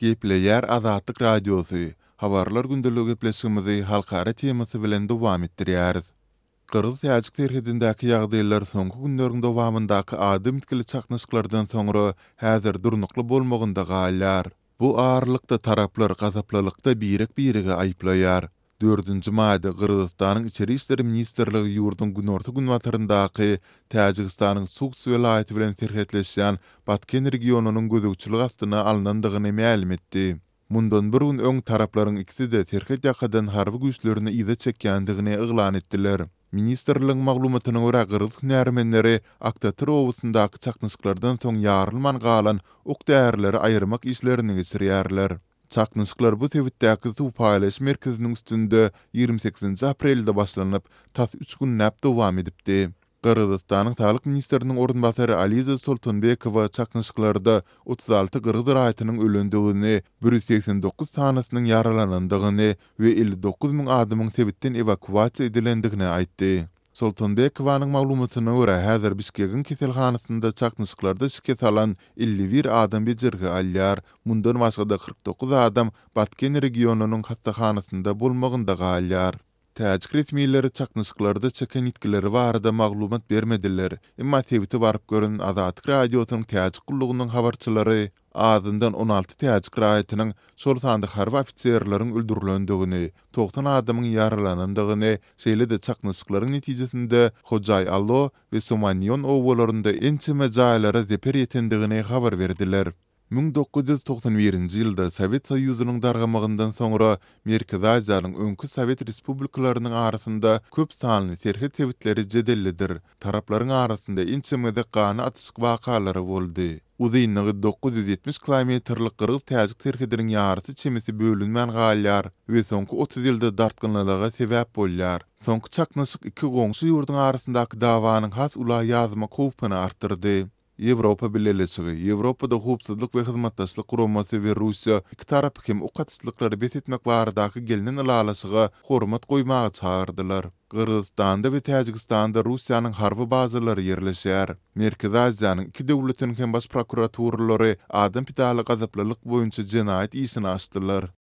Gepleýär Azatlyk Radiosy, Habarlar gündeligi gepleşigimizi halkara temasy bilen dowam etdirýäris. Gyrgyz-täjik serhedindäki ýagdaýlar soňky günleriň dowamyndaky adam ýitgili çaknyşyklardan soňra häzir durnukly bolmagynda galýar. Bu aralykda taraplar gazaplylykda birek-biregi aýyplaýar. Dördünji maýda Gyrgyzystanyň Içeri işler ministrligi ýurduň günorta-günbataryndaky Täjigistanyň Sughd welaýaty bilen serhetleşýän Batken regionynyň gözegçilik astyna alnandygyny mälim etdi. Mundan bir gün öň taraplaryň ikisi-de serhet ýakadan harby güýçlerini yza çekýändigini yglan etdiler. Ministrligiň maglumatyna görä, gyrgyz hünärmenleri Aktatyr obasyndaky çaknyşyklardan soň ýarylman galan ok-därileri aýyrmak işlerini geçirýärler. Çaknyşyklar bu sebitdäki suw paýlaýyş merkeziniň üstünde 28-nji aprelde başlanyp, tas üç günläp dowam edipdi. Gyrgyzystanyň saglyk ministriniň orunbasary Aliza Soltanbekowa çaknyşyklarda 36 gyrgyz raýatynyň ölendigini, 189 sanysynyň ýaralanandygyny we 59 müň adamyň sebitden ewakuasiýa edilendigini aýtdy. Soltanbekowanyň maglumatyna görä, häzir Bişkegiň keselhanasynda çaknyşyklarda şikes alan 51 adam bejergi alýar. Mundan başga-da 49 adam Batken regionynyň hassahanasynda bolmagynda galýar. Täjik resmileri çaknyşyklarda çeken ýitgileri barada maglumat bermediler, emma sebite baryp gören Azatlyk Radiosynyň Täjik gullugynyň habarçylary azyndan 16 täjik raýatynyň, şol sanda harby ofiserleriň öldürilendigini, 90 adamyň ýaralanandygyny, şeýle-de çaknyşyklaryň netijesinde Hojaý-Alo we Somaniýon obalarynda ençeme jaýlara zeper ýetendigini habar berdiler. 1991-nji ýylda Sowet Soýuzynyň dargamagyndan soňra Merkezi Aziýanyň öňki sowet respublikalarynyň arasynda köp sanly serhet sebitleri jedellidir. Taraplaryň arasynda ençeme gezek ganly atyşyk wakalary boldy. Uzynlygy 970 kilometrlik gyrgyz-täjik serhediniň ýarysy çemesi bölünmän galýar we soňky 30 ýylda dartgynlylyga sebäp bolýar. Soňky çaknyşyk iki goňşy ýurduň arasyndaky dawanyň has ula ýazmak howpuny artdyrdy. Ýewropa Bileleşigi, Ýewropada Howpsuzlyk we Hyzmatdaşlyk Guramasy we Russiýa iki tarapy hem ok atyşlyklary bes etmek baradaky gelnen ylalaşyga hormat goýmaga çagyrdylar. Gyrgyzystanda we Täjigistanda Russiýanyň harby bazalary ýerleşýär. Merkezi Aziýanyň iki döwletiniň hem baş prokuraturalary adam pidaly gazaplylyk boýunça jenaýat işini açdylar.